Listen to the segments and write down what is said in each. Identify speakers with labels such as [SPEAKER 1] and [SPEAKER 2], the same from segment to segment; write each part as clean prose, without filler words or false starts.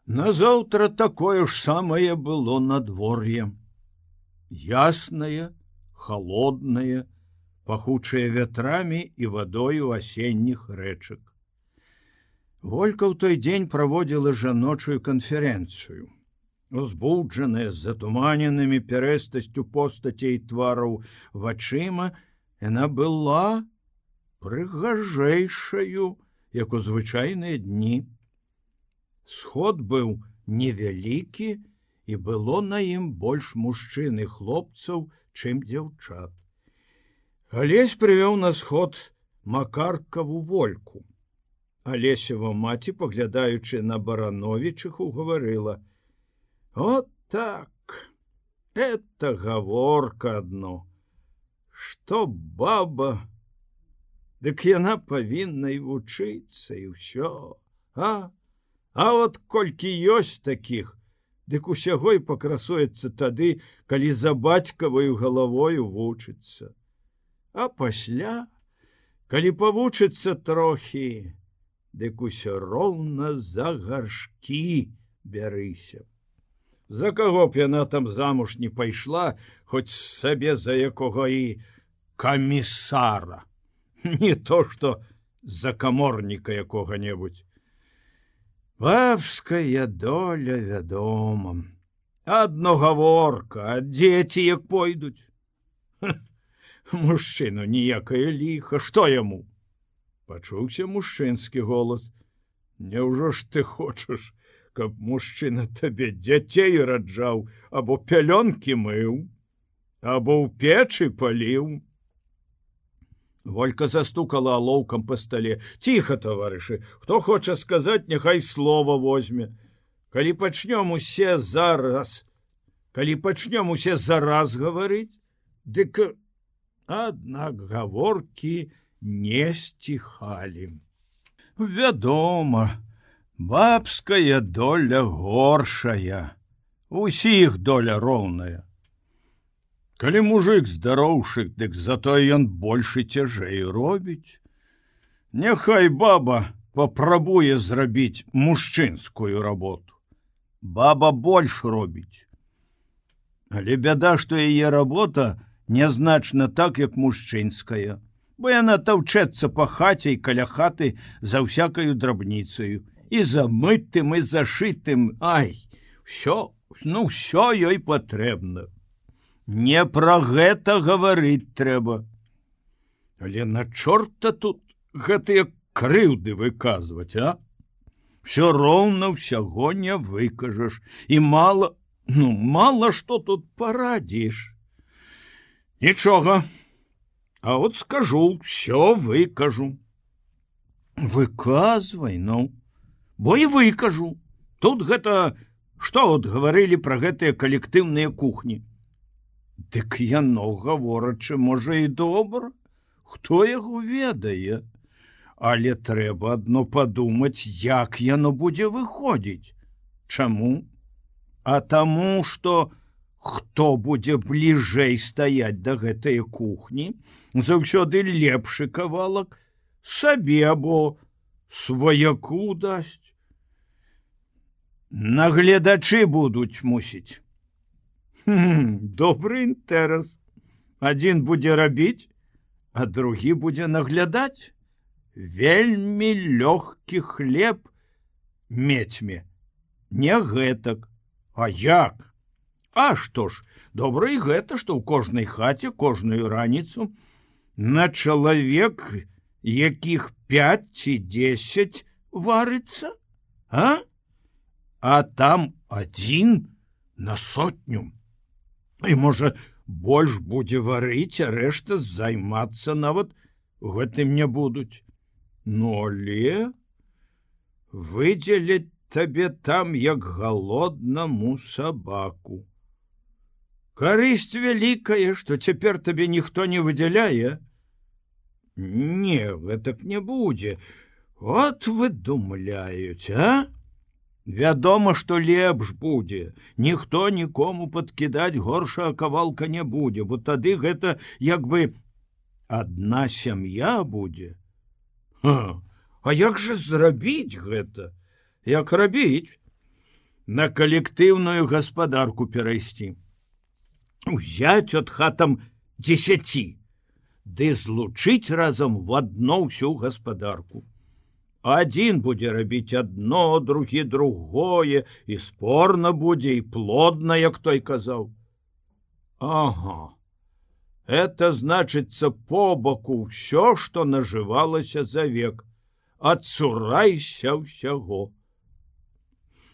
[SPEAKER 1] Назаўтра такое ж самае было надвор'е. Яснае, холоднае, пахучае вятрамі і вадою асенніх рэчак. Волька ў той дзень праводзіла жаночую канферэнцыю. Узбуджаная з затуманенымі пярэстасцю постацей твараў вачыма, яна была прыгажэйшаю, як у звычайныя дні. Сход быў невялікі, і было на ім больш мужчын і хлопцаў, чым дзяўчат. Алесь прывёў на сход Макаркаву Вольку. Алесева маці, паглядаючы на Барановічыху, гаварыла: «Вот так, это гаворка адно, што баба, дык яна павінна і вучыцца, і ўсё, А вот колькі ёсць такіх, дык усяго і пакрасуецца тады, калі за бацькаваю галавою вучыцца. А пасля, калі павучыцца трохі, дык усё роўна за гаршкі бярыся. За каго б яна там замуж не пайшла, хоць сабе за якога і камісара, не то што за каморніка якога-небудзь. Бабская доля, вядома. Адно гаворка, а дзеці як пойдуць. Мужчыну ніякае ліха, што яму? Пачуўся мужчынскі голас. Няўжо ж ты хочаш, каб мужчына табе дзяцей раджаў, або пялёнкі мыў, або ў печы паліў? Волька застукала алоўкам па стале. Ціха, таварышы, хто хоча сказаць, няхай слова возьме. Калі пачнём усе зараз гаварыць, дык аднак гаворкі не сціхалі. Вядома, бабская доля горшая, усіх доля роўная. Калі мужик здароўшы, дык затое ён больш і цяжэй робіць. Няхай баба папрабуе зрабіць мужчынскую работу. Баба больш робіць. Але бяда, што яе работа нязначна так, як мужчынская, бо яна таўчэцца па хаце і каля хаты за ўсякаю драбніцаю, і за мытым, і зашытым. Ай, ўсё ёй патрэбна. Не пра гэта гаварыць трэба. Але на чорта тут гэтыя крыўды выказваць, а? Всё роўна ўсяго не выкажаш. І мала што тут парадзіш. Нічога. А от скажу, всё выкажу. Выказвай, бо і выкажу. Тут гэта, што от гаварылі пра гэтыя калектыўныя кухні? Дык яно, гаворачы, можа і добра, хто яго ведае, але трэба адно падумаць, як яно будзе выходзіць. Чаму? А таму, што хто будзе бліжэй стаяць да гэтай кухні, заўсёды лепшы кавалак сабе або сваяку дасць. Нагледачы будуць, мусіць. Добры інтэрас. Адзін будзе рабіць, а другі будзе наглядаць. Вельмі лёгкі хлеб мецьме. Не гэтак. А як? А што ж, добра і гэта, што ў кожнай хаце кожную раніцу на чалавек, якіх 5 ці 10 варыцца, а там адзін на 100. І, можа, больш будзе варыць, а рэшта займацца нават гэтым не будуць. Але выдзеляць табе там, як галоднаму сабаку. Карысць вялікая, што цяпер табе ніхто не выдзяляе. Не, гэтак не будзе. От выдумляюць, а? Вядома, што лепш будзе. Ніхто нікому падкідаць горшага кавалка не будзе, бо тады гэта як бы адна сям'я будзе. А як жа зрабіць гэта? Як рабіць? на калектыўную гаспадарку перайсці. Узяць от хатам 10, ды злучыць разам в адно ўсю гаспадарку. Адзін будзе рабіць адно, другі другое, і спорна будзе, і плодна, як той казаў. Ага, это значыцца побаку ўсё, што нажывалася за век. Адцурайся ўсяго.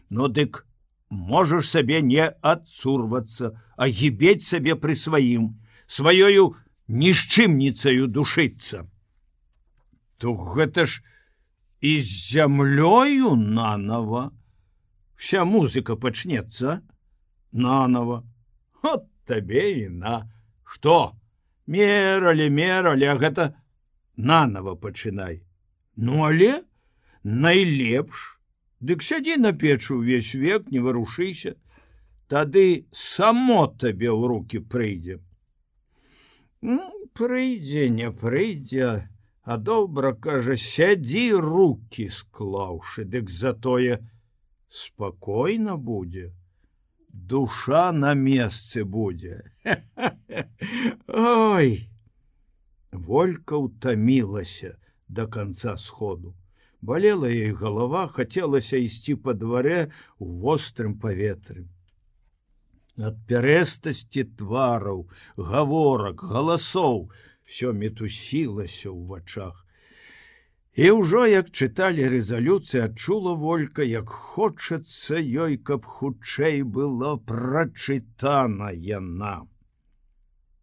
[SPEAKER 1] Ну дык можаш сабе не адцурвацца, а гібець сабе пры сваім, сваёю нішчымніцаю душыцца. То гэта ж і з зямлёю нанова. Вся музыка пачнецца нанова. От табе і на. Што? Мералі, а гэта нанова пачынай. Ну, але найлепш. Дык сядзі на печы ўвесь век, не варушыся. Тады само табе ў руки прыйдзе. Прыйдзе, не прыйдзе, а добра, кажа, сядзі руки склаўшы, дык затое спакойна будзе. Душа на месцы будзе. Ой! Волька ўтамілася до конца сходу. Балела ей голова, хацелася ісці па дварэ у вострым паветры. Ад пярэстасці твараў, гаворак, галасоў всё мітусілася ў вачах. І ўжо, як чыталі рэзалюцыі, адчула Волька, як хочацца ёй, каб хутчэй была прачытана яна.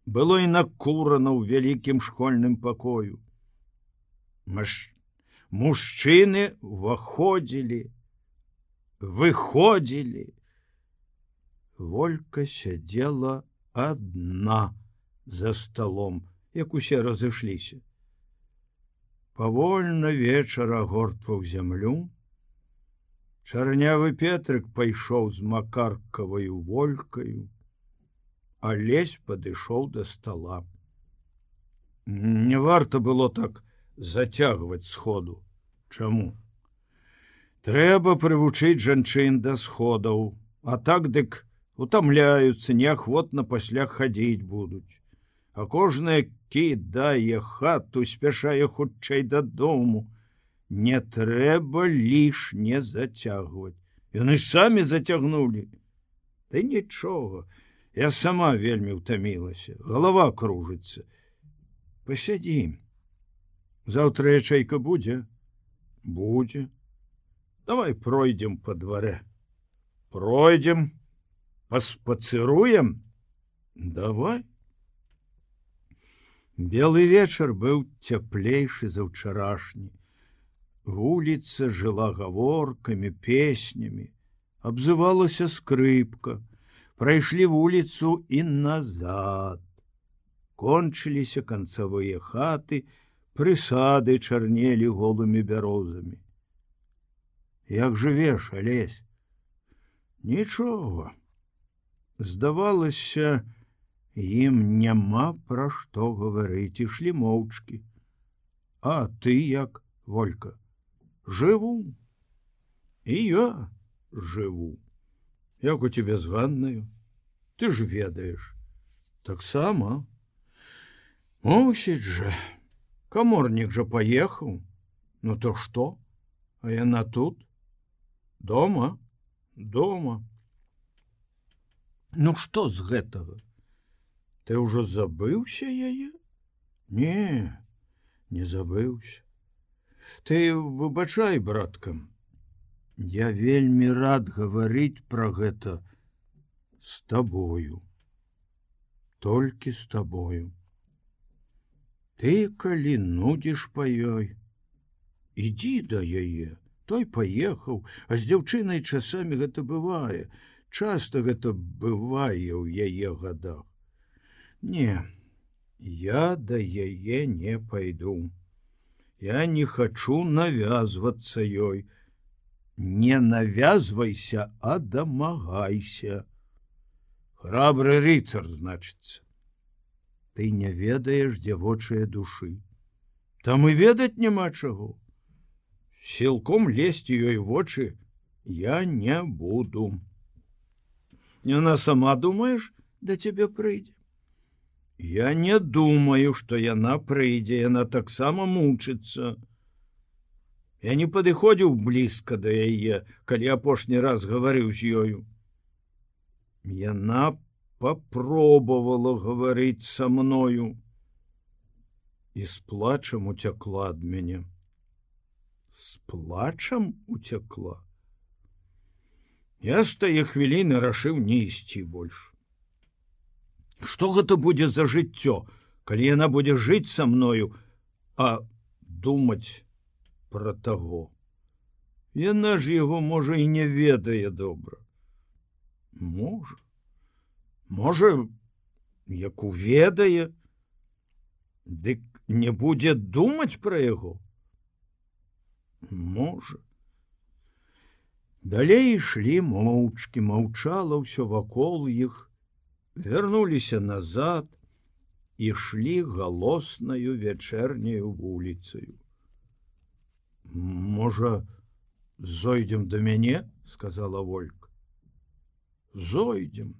[SPEAKER 1] Было і накурана ў вялікім школьным пакою. Мужчыны ўваходзілі, выходзілі. Волька сядзела адна за сталом, як усе разышліся. Павольна вечар агортваў зямлю. Чарнявы Петрык пайшоў з макаркаваю Волькаю, а Лесь падышоў да стала. Не варта было так зацягваць сходу. Чаму? Трэба прывучыць жанчын да сходаў, а так дык утамляюцца, неахвотна пасля хадзіць будуць. А кожная кідае хату, спяшае хутчэй дадому. Не трэба лішне зацягваць. Яны самі зацягнулі. Ды нічога, я сама вельмі ўтамілася, галава кружыцца. Пасядзім. Заўтра ячэйка будзе? Будзе. Давай пройдзем па дварэ. Пройдзем, паспацыруем? Давай. Белы вечар быў цяплейшы за ўчарашні. Вуліца жыла гаворкамі, песнямі. Абзывалася скрыпка. Прайшлі вуліцу і назад. Кончыліся канцавыя хаты, прысады чарнелі голымі бярозамі. Як жывеш, Алесь? Нічога. Здавалася, ім няма пра што гаварыць, ішлі моўчкі. А ты як, Волька? Жыву. І я жыву. Як у тебе з Ганнаю? Ты ж ведаеш. Таксама. Мусіць жа. Каморнік жа паехаў. Ну то што? А яна тут? Дома? Дома. Ну што з гэтага? Ты ўжо забыўся яе? Не, не забыўся. Ты выбачай, браткам. Я вельмі рад гаварыць пра гэта з табою. Толькі з табою. Ты, калі нудзіш па ёй, ідзі да яе. Той паехаў, а з дзяўчынай часамі гэта бывае. Часта гэта бывае ў яе гадах. Не, я да яе не пайду. Я не хачу навязвацца ёй. Не навязвайся, а дамагайся. Храбры рыцар, значыцца. Ты не ведаеш дзявочыя душы. Там і ведаць няма чаго. Сілком лезці ёй вочы Я не буду. Яна сама, думаеш, да цябе прыйдзе? Я не думаю, што яна прыйдзе, яна таксама мучыцца. Я не падыходзіў блізка да яе, калі апошні раз гаварыў з ёю. Яна попробовала гаварыць са мною і з плачам уцякла ад мяне. З плачам уцякла. Я з тае хвіліны рашыў не ісці больш. Што гэта будзе за жыццё, калі яна будзе жыць са мною, а думаць пра таго? Яна ж яго, можа, і не ведае добра. Можа, як уведае, дык не будзе думаць пра яго? Можа. Далей ішлі моўчкі, маўчала ўсё вакол іх, вярнуліся назад, ішлі галоснаю вячэрняю вуліцаю. Можа, зойдзем да мяне, сказала Волька. Зойдзем.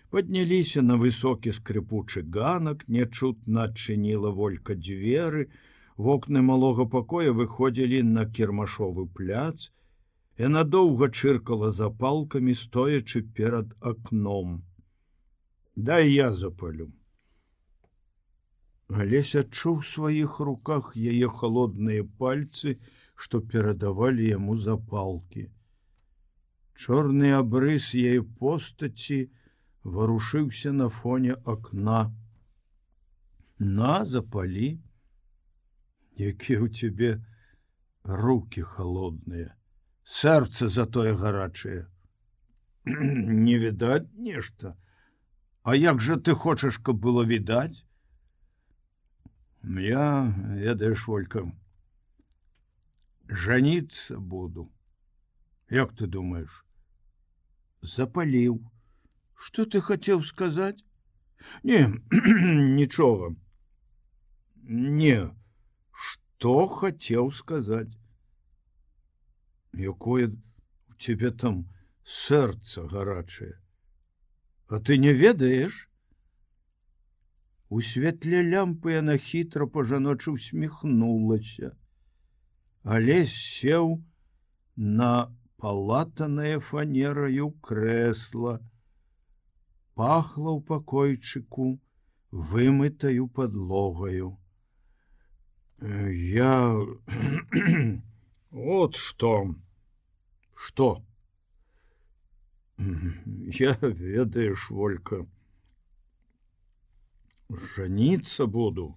[SPEAKER 1] Падняліся на высокі скрипучы ганак, нячутна адчыніла Волька дзверы, вокны малога пакоя выходзілі на кірмашовы пляц, яна доўга чыркала запалкамі, стоячы перад акном. Дай я запалю. Алесь адчуў у сваіх руках яе холодныя пальцы, што перадавалі яму запалкі. Чорны абрыс яе постаці варушыўся на фоне акна. На, запалі. Якія ў цябе рукі холодныя. Сэрца затое гарачае. Не відаць нешта. А як жа ты хочаш, каб было відаць? Я, ведаеш, Волька, жаніцца буду. Як ты думаеш? Запаліў. Што ты хацеў сказаць? Не, нічога. Не, што хацеў сказаць? Якое у цябе там сэрца гарачае. А ты не ведаеш? У святле лямпы яна хітра па-жаночы усміхнулася. Алесь сеў на палатанае фанераю крэсла. Пахла ў пакойчыку вымытаю падлогаю. Я... Вот что. Что? Я, ведаеш, Волька, жаніцца буду.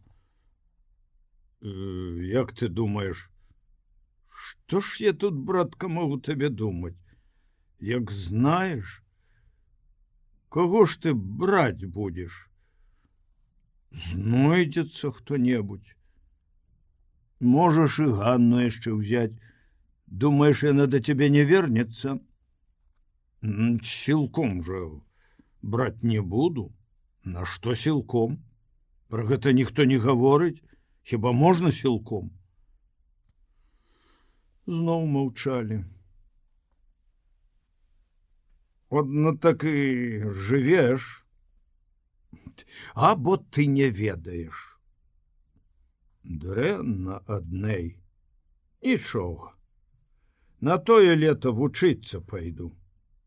[SPEAKER 1] Як ты думаешь, што ж я тут, братка, могу табе думаць? Як знаеш, каго ж ты браць будзеш? Знойдзецца хто-небудзь. Можаш і Ганну яшчэ ўзяць. Думаеш, яна да цябе не вернецца? Сілком жа браць не буду. На што сілком? Пра гэта ніхто не гаворыць. Хіба можна сілком? Зноў маўчалі. Одно так і жывеш. Або ты не ведаеш. Дрэнна аднэй. Нічога. На тое лето вучыцца пайду.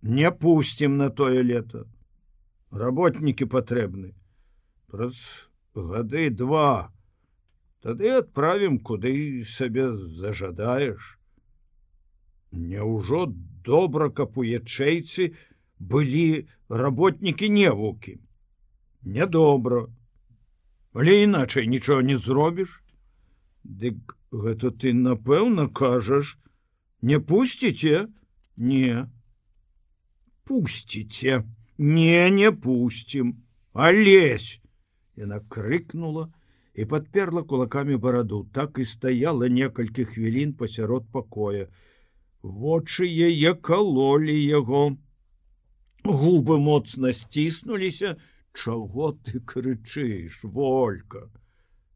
[SPEAKER 1] Не пусцім на тое лето. Работнікі патрэбны. Праз гады 2. Тады адправім, куды сабе зажадаеш. Няўжо добра, каб у ячэйцы былі работнікі-невукі? Нядобра. Але іначай нічога не зробіш. Дык гэта ты, напэўна, кажаш, не пусціце? Не. Пусціце. Не пусцім. Алесь! Яна крыкнула і падперла кулакамі бараду. Так і стаяла некалькі хвілін пасярод пакоя. Вочы яе калолі яго. Губы моцна сціснуліся. Чаго ты крычыш, Волька?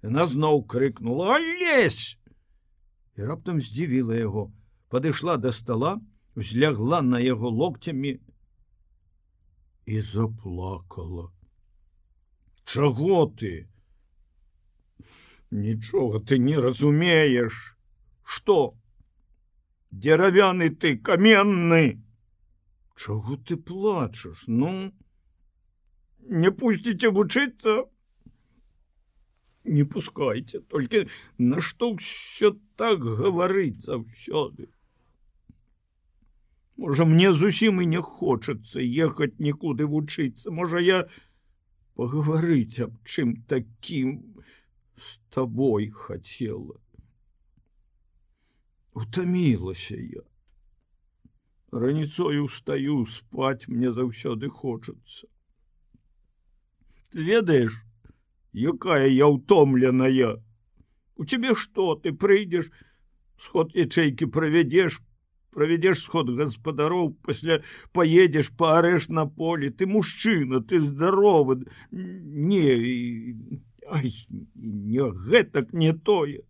[SPEAKER 1] Яна зноў крыкнула: «Алесь!» І раптам здзівіла яго. Падышла да стала, узлягла на яго локцямі і заплакала. Чаго ты? Нічога ты не разумееш. Што? Дзеравяны ты, каменны. Чаго ты плачаш? Ну, не пусціце вучыцца? Не пускайце, толькі нашто ўсё так гаварыць заўсёды? Можа, мне зусім і не хочацца ехаць нікуды вучыцца. Можа, я пагаварыць аб чым такім з табой хацела. Утамілася я. Раніцою устаю, спаць мне заўсёды хочацца. Ты ведаеш, якая я ўтомленая? У цябе што? Ты прыйдзеш, сход ячэйкі правядзеш сход гаспадароў, пасля паедзеш, паарэж на полі. Ты мужчына, ты здаровы. Не, ай, не гэтак не тое.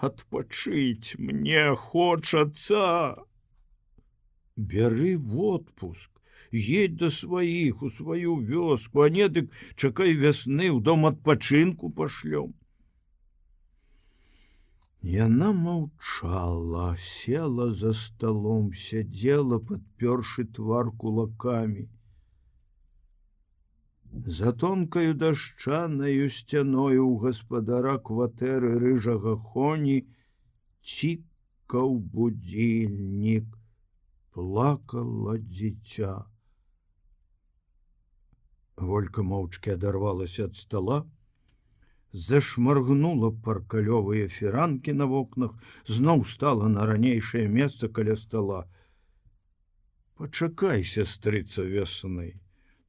[SPEAKER 1] Адпачыць мне хочацца. Бяры в отпуск, едь да сваіх у сваю вёску, а не дык чакай вясны, ў дом адпачынку пашлём. Яна маўчала, села за сталом, сядзела, падпёршы твар кулакамі. За тонкаю дашчанаю сцяною ў гаспадара кватэры рыжага хоні цікаў будзільнік. Плакала дзіця. Волька моўчкі адарвалася ад стала, зашмаргнула паркалёвыя фіранкі на вокнах, зноў стала на ранейшае месца каля стала. Пачакай, сястрыца, вясны,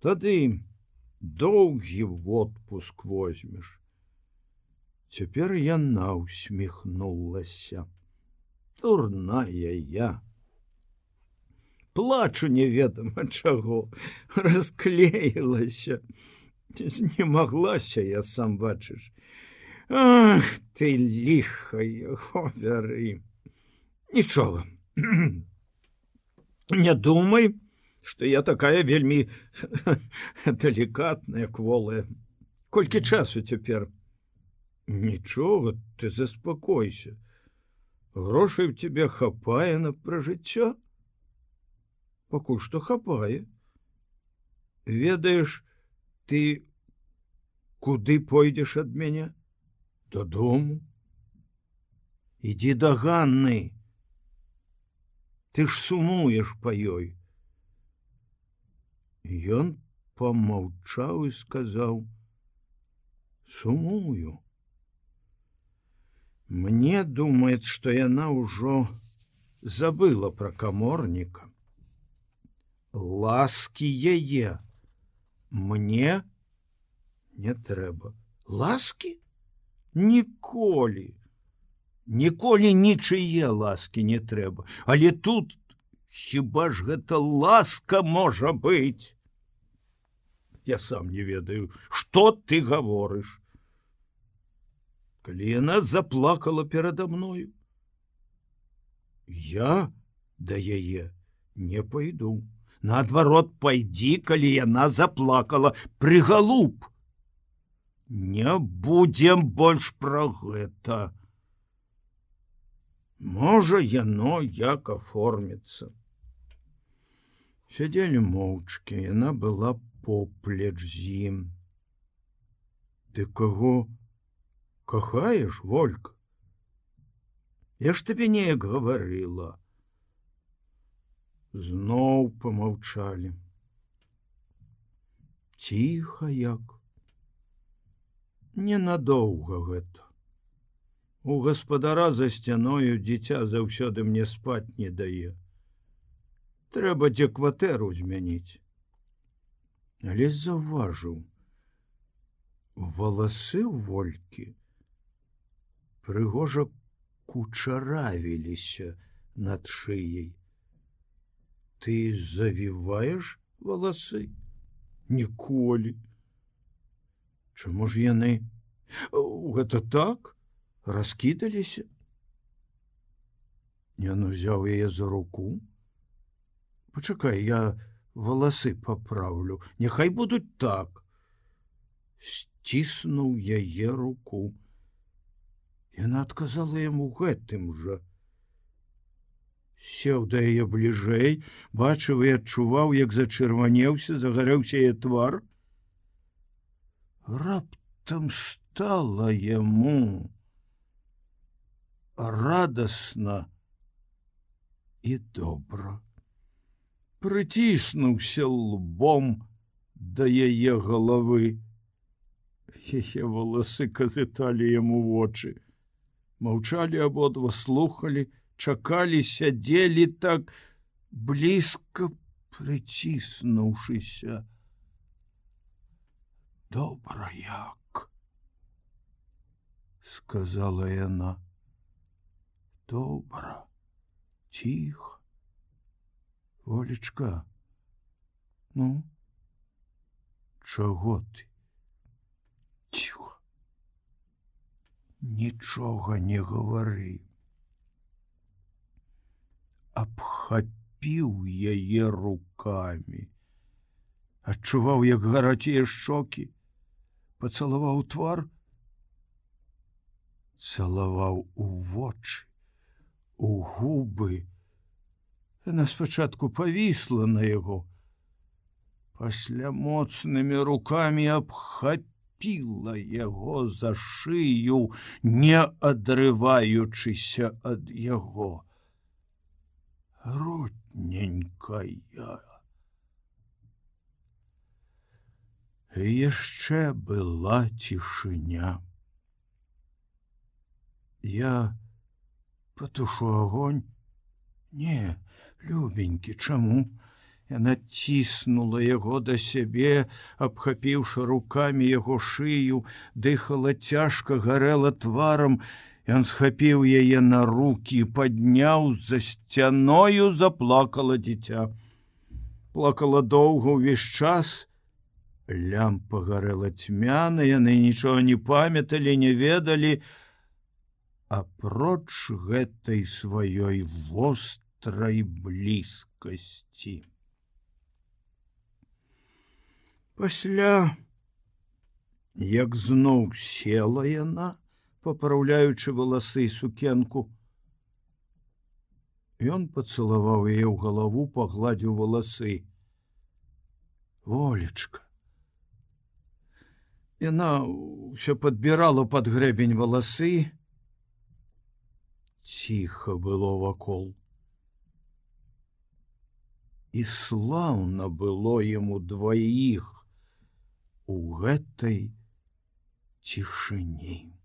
[SPEAKER 1] тады доўгі отпуск возьмеш. Цяпер яна усміхнулася. Дурная я. Плачу неведама чаго, расклеілася. Знемаглася я, сам бачыш. Ах, ты ліхая, вяры. Нічога. Не думай, што я такая вельмі далікатная, кволая. Колькі часу цяпер? Нічога, ты заспакойся. Грошай у цябе хапае на пражыццё? Пакуль што хапае. Ведаеш, ты куды пойдзеш ад мяне? Дадому. Ідзі да Ганны. Ты ж сумуеш па ёй. Ён помаўчаў і сказаў: сумую. Мне думаецца, што яна ўжо забыла пра каморніка. Ласкі яе мне не трэба. Ласкі? Ніколі. Ніколі нічые ласкі не трэба. Але тут хіба ж гэта ласка можа быць? Я сам не ведаю, што ты гаворыш. Калі яна заплакала перада мною, я да яе не пайду. Наадварот, пайдзі, калі яна заплакала, прыгалуб. Не будзем больш пра гэта. Можа, яно як аформіцца. Сядзелі моўчкі, яна была поплеч з ім. Ты каго кахаеш, Волька? Я ж табе неяк гаварыла. Зноў помаўчалі. Ціха як. Ненадоўга гэта. У гаспадара за сцяною дзіця заўсёды мне спаць не дае. Трэба дзе кватэру змяніць. Але заўважыў, валасы ў Волькі прыгожа кучаравіліся над шыяй. Ты завіваеш валасы? Ніколі. Чаму ж яны? Гэта так? Раскідаліся? Ён узяў яе за руку, Пачакай, я валасы папраўлю, няхай будуць так. Сціснуў яе руку. Яна адказала яму гэтым жа. Сеў да яе бліжэй, бачыў і адчуваў, як зачырванеўся, загарэўся яе твар. Раптам стала яму радасна і добра. Прыціснуўся лбом да яе галавы. Яе валасы казыталі яму вочы. Маўчалі абодва, слухалі, чакалі, сядзелі так блізка, прыціснуўшыся. Добра як, сказала яна. Добра, ціха. Волечка, ну, чаго ты? Ціха. Нічога не гавары. Абхапіў яе рукамі. Адчуваў, як гараць яе шчокі. Пацалаваў твар. Цалаваў у вочы, у губы. Яна спачатку павісла на яго. Пасля моцнымі рукамі абхапіла яго за шыю, не адрываючыся ад яго. Родненькая. Яшчэ была цішыня. Я патушу агонь? Не, любенькі, чаму? Яна ціснула яго да сябе, абхапіўшы рукамі яго шыю, дыхала цяжка, гарэла тварам. Ён схапіў яе на рукі, падняў, за сцяною заплакала дзіця. Плакала доўга ўвесь час. Лямпа гарэла цьмяна, яны нічога не памяталі, не ведалі, апроч гэтай сваёй вострай блізкасці. Пасля, як зноў села яна, папраўляючы валасы і сукенку, ён пацалаваў яе ў галаву, пагладзіў валасы. Волечка. Яна ўсё падбірала пад грэбень валасы. Ціха было вакол. І слаўна было яму дваіх у гэтай цішыні.